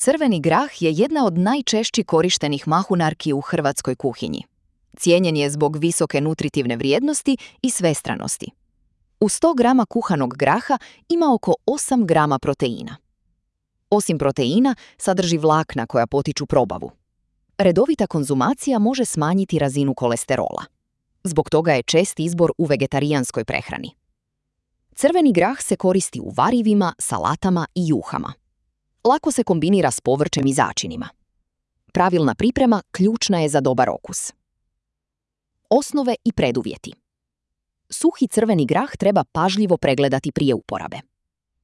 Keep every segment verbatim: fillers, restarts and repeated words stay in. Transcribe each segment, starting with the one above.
Crveni grah je jedna od najčešće korištenih mahunarki u hrvatskoj kuhinji. Cijenjen je zbog visoke nutritivne vrijednosti i svestranosti. U sto grama kuhanog graha ima oko osam grama proteina. Osim proteina, sadrži vlakna koja potiču probavu. Redovita konzumacija može smanjiti razinu kolesterola. Zbog toga je čest izbor u vegetarijanskoj prehrani. Crveni grah se koristi u varivima, salatama i juhama. Lako se kombinira s povrćem i začinima. Pravilna priprema ključna je za dobar okus. Osnove i preduvjeti. Suhi crveni grah treba pažljivo pregledati prije uporabe.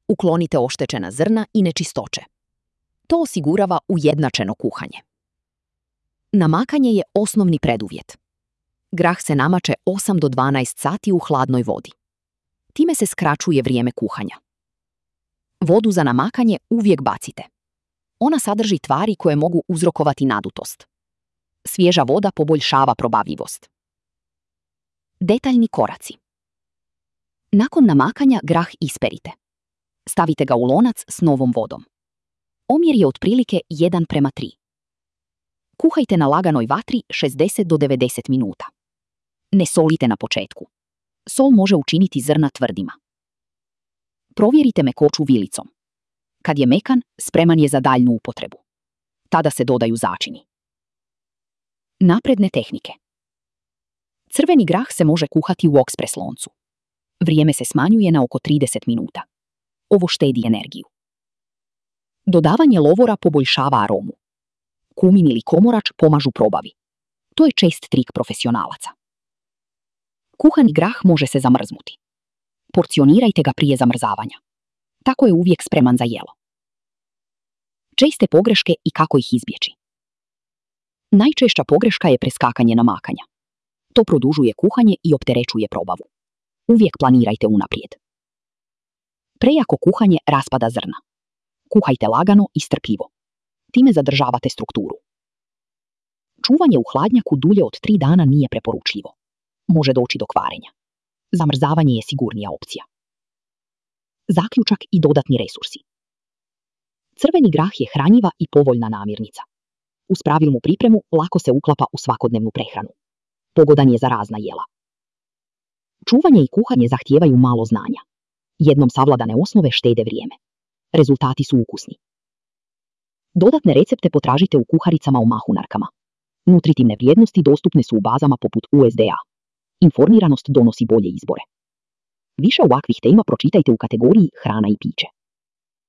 Uklonite oštećena zrna i nečistoće. To osigurava ujednačeno kuhanje. Namakanje je osnovni preduvjet. Grah se namače osam do dvanaest sati u hladnoj vodi. Time se skraćuje vrijeme kuhanja. Vodu za namakanje uvijek bacite. Ona sadrži tvari koje mogu uzrokovati nadutost. Svježa voda poboljšava probavljivost. Detaljni koraci. Nakon namakanja grah isperite. Stavite ga u lonac s novom vodom. Omjer je otprilike jedan prema tri. Kuhajte na laganoj vatri šezdeset do devedeset minuta. Ne solite na početku. Sol može učiniti zrna tvrdima. Provjerite mekoću vilicom. Kad je mekan, spreman je za daljnju upotrebu. Tada se dodaju začini. Napredne tehnike. Crveni grah se može kuhati u okspres loncu. Vrijeme se smanjuje na oko trideset minuta. Ovo štedi energiju. Dodavanje lovora poboljšava aromu. Kumin ili komorač pomažu probavi. To je čest trik profesionalaca. Kuhani grah može se zamrznuti. Porcionirajte ga prije zamrzavanja. Tako je uvijek spreman za jelo. Česte pogreške i kako ih izbjeći. Najčešća pogreška je preskakanje namakanja. To produžuje kuhanje i opterećuje probavu. Uvijek planirajte unaprijed. Prejako kuhanje raspada zrna. Kuhajte lagano i strpljivo. Time zadržavate strukturu. Čuvanje u hladnjaku dulje od tri dana nije preporučljivo. Može doći do kvarenja. Zamrzavanje je sigurnija opcija. Zaključak i dodatni resursi. Crveni grah je hranjiva i povoljna namirnica. Uz pravilnu pripremu lako se uklapa u svakodnevnu prehranu. Pogodan je za razna jela. Čuvanje i kuhanje zahtijevaju malo znanja. Jednom savladane osnove štede vrijeme. Rezultati su ukusni. Dodatne recepte potražite u kuharicama o mahunarkama. Nutritivne vrijednosti dostupne su u bazama poput U S D A. Informiranost donosi bolje izbore. Više ovakvih tema pročitajte u kategoriji hrana i piće.